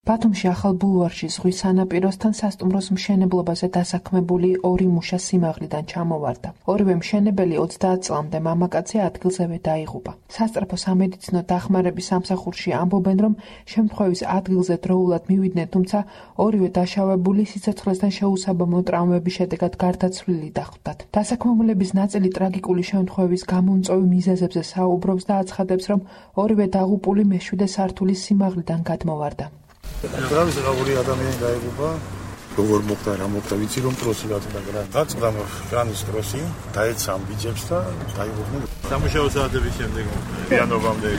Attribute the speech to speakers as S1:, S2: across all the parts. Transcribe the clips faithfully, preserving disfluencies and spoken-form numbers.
S1: ბათუმში ახალ ბულვარში ზღვის სანაპიროსთან სასტუმროს მშენებლობაზე დასაქმებული ორი მუშა სიმაღლიდან ჩამოვარდა. ორივე მშენებელი ოცდაათ წლამდე მამაკაცი ადგილზევე დაიღუპა. სასწრაფო სამედიცინო დახმარების სამსახურში ამბობენ, რომ შემთხვევის ადგილზე დროულად მივიდნენ, თუმცა ორივე დაშავებული სიცოცხლესთან შეუსაბამო ტრამვების შედეგად გარდაცვლილი დახვდათ. დასაქმებულების ნაწილი ტრაგიკული შემთხვევის გამომწვევ მიზეზებზე საუბრობს და აცხადებს, რომ ორივე დაღუპული მეშვიდე სართულის სიმაღლიდან გადმოვარდა.
S2: Vreau să rauri adamii în Gaibuba, vor mochta, am mochta vicii rom trosi la tine gran. Dați gam Janis trosi, dați am bicepsta, dai vorne.
S3: Am ușa o să ade vicem de gam.
S2: Piano vam de.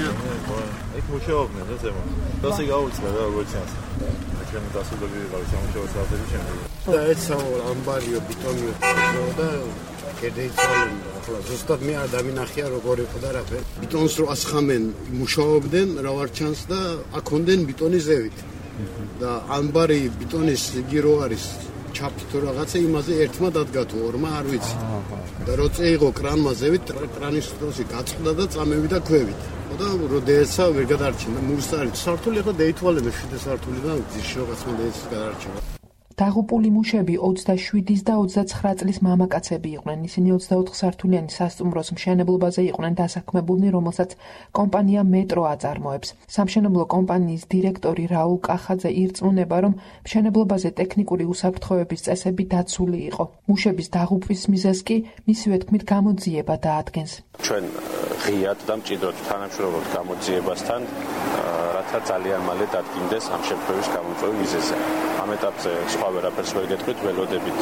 S3: Ek ușa ovne, da zema. Da se gauți, da, voceans. Dacă nu da să dobi, am ușa o să ade vicem de gam.
S4: Dați am ambario bitonio, da, კედეიცვალენ ახლა ზუსტად მე ადამიანახია როგორი იყო და რაფერ ბიტონს რო ასხამენ მუშაობდნენ რა ვარ ჩანს და აქონდნენ ბიტონის ზევით და ანბარი ბიტონის იგი რო არის ჩაფი თუ რაღაცა იმაზე ერთმა დადგა თუ ორმა არ ვიცი და რო წეიღო კრანმა ზევით კრანის დროსი გაწყდა და წამევიდა ქვევით და როდესაც ვერ გადარჩენდა მუსარი სართული ხო დაითვალე მეშვიდე სართული და ძის შეგაცმა დაეცი გადარჩევა.
S1: დაღუპული მუშები ოცდაშვიდის და ოცდაცხრა წლის მამაკაცები იყვნენ. ისინი ოცდაოთხ სართულიანი სასტუმროს მშენებლობაზე იყვნენ დასაქმებულნი, რომელსაც კომპანია მეტრო აწარმოებს. სამშენებლო კომპანიის დირექტორი რაულ კახაძე ირწმუნება, რომ მშენებლობაზე ტექნიკური უსაფრთხოების წესები დაცული იყო. მუშების დაღუპვის მიზეზს კი მისივე თქმით გამოძიება დაადგენს.
S5: ჩვენ ღიად და მჭიდროდ თანამშრომლობთ გამოძიებასთან, რათა ძალიან მალე დადგინდეს ამ შემთხვევის გამომწვევი მიზეზი. ამ ეტაპზე სხვა ვერაფერს ვერ გეტყვით, ველოდებით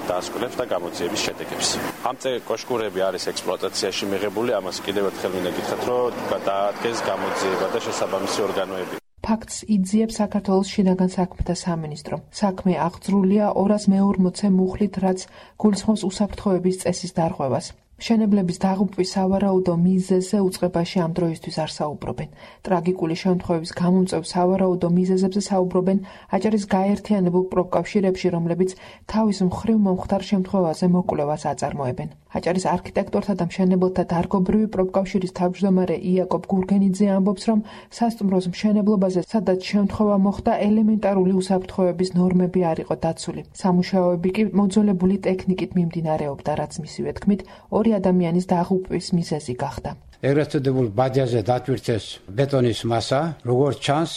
S5: დაასკვნებს და გამოძიების შედეგებს. ამ წე კოშკურები არის ექსპლუატაციაში მიღებული, ამას კიდევ ერთხელ მინდა გითხრათ, რომ დაადგეს გამოძიება და შესაბამისი ორგანოები.
S1: ფაქტს იძიებს საქართველოს შინაგან საქმეთა სამინისტრო. საქმე აღძრულია ორას მეორმოცე მუხლით, რაც გულისხმობს უსაფრთხოების წესის დარღვევას. მშენებლების დაღუპვის სავარაუდო მიზეზზე უწყებაში ამ დროისთვის არ საუბრობენ. ტრაგიკული შემთხვევის გამომწვევ სავარაუდო მიზეზებზე საუბრობენ აჭარის გაერთიანებულ პროფკავშირებში, რომლებიც თავის მხრივ მომხდარ შემთხვევაზე მოკვლევას აწარმოებენ. აჭარის არქიტექტორთა და მშენებელთა დარგობრივი პროფკავშირის თავმჯდომარე იაკობ გურგენიძე ამბობს, რომ სასტუმროს მშენებლობაზე, სადაც შემთხვევა მოხდა, ელემენტარული უსაფრთხოების ნორმები არ იყო დაცული. სამუშაოები კი მოძველებული ტექნიკით მიმდინარეობდა, რაც მისივე თქმით ორი ადამიანის დაღუპვის მიზეზი გახდა.
S6: ეგრეთ წოდებულ ბადიაზე დატვირთეს ბეტონის მასა, როგორც ჩანს,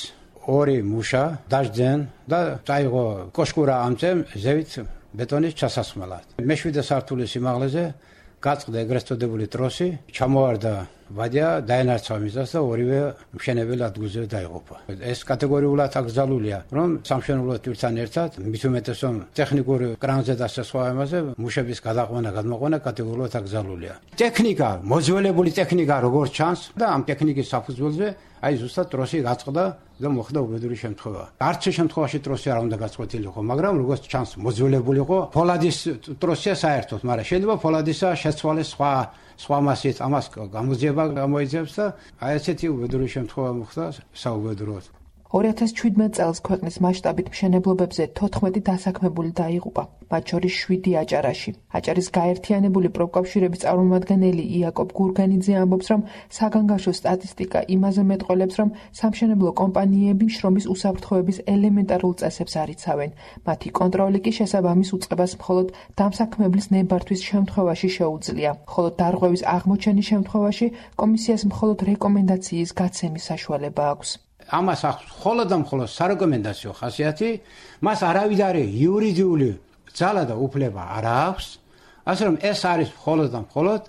S6: ორი მუშა დაждდნენ და წაიღო კოშკურა ამწემ ზევით ბეტონის ჩასასხმელად. მეშვიდე სართულის სიმაღლეზე გაწყდა ეგრეთ წოდებული ტროსი, ჩამოვარდა ბადია, დაენარჩა მიზას და ორივე მშენებელი ადგილზე დაიღუპა. ეს კატეგორიულად აკრძალულია, რომ სამშენებლო თვისთან ერთად მით უმეტეს რომ ტექნიკური კრანზე და სხვა ამაზე მუშების გადაყვანა, გადმოყვანა კატეგორიულად აკრძალულია. ტექნიკა, მოძველებული ტექნიკა როგორც ჩანს და ამ ტექნიკის საფუძველზე აი ზუსტად ტროსი გაწყდა და მოხდა უბედური შემთხვევა. არც შემთხვევაში ტროსი არ უნდა გაწყვეტილიყო, მაგრამ როგორც ჩანს მოძველებული იყო, ფოლადის ტროსია საერთოდ, მაგრამ შეიძლება ფოლადისა შეცვალეს სხვა სხვა მასით, ამას გამოძიება გამოიძებს და აი ესეთი უბედური შემთხვევა მოხდა საუბედუროდ.
S1: ორი ათას ჩვიდმეტ წელს ქვეყნის მასშტაბით მშენებლობებზე თოთხმეტი დასაქმებული დაიღუპა, მათ შორის შვიდი აჭარაში. აჭარის გაერთიანებული პროფკავშირების წარმომადგენელი იაკობ გურგენიძე ამბობს, რომ საგანგაშო სტატისტიკა იმაზე მეტყველებს, რომ სამშენებლო კომპანიები შრომის უსაფრთხოების ელემენტარულ წესებს არ იცავენ. მათი კონტროლი კი შესაბამის უწყებას მხოლოდ დამსაქმებლის ნებართვის შემთხვევაში შეუძლია, ხოლო დარღვევის აღმოჩენის შემთხვევაში კომისიას მხოლოდ რეკომენდაციის გაცემის საშუალება აქვს.
S6: ამას აქვს მხოლოდ და მხოლოდ სარეკომენდაციო ხასიათი, მას არავითარი იურიდიული ძალა და უფლება არ აქვს, ასე რომ ეს არის მხოლოდ და მხოლოდ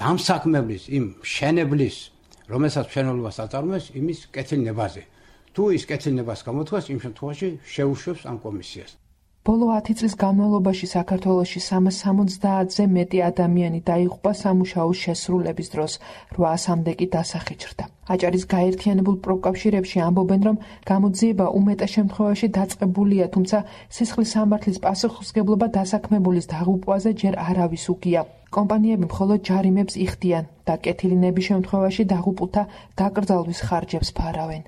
S6: დამსაქმებლის, იმ მშენებლის, რომელსაც მშენებლობას აწარმოებს, იმის კეთილნებაზე. თუ ის კეთილნებას გამოთქვას, იმ შემთხვევაში შეუშვებს ამ კომისიას.
S1: ბოლო ათი წლის განმავლობაში საქართველოში სამას სამოცდაათზე მეტი ადამიანი დაიღუპა სამუშაოს შესრულების დროს, რვაასამდე კი დასახიჩრდა. აჭარის გაერთიანებულ პროფკავშირებში ამბობენ, რომ გამოძიება უმეტეს შემთხვევაში დაწყებულია, თუმცა სისხლის სამართლის პასუხისმგებლობა დასაქმებულის დაღუპვაზე ჯერ არავის უგია. კომპანიები მხოლოდ ჯარიმებს იხდიან და კეთილინების შემთხვევაში დაღუპულთა დაკრძალვის ხარჯებს ფარავენ.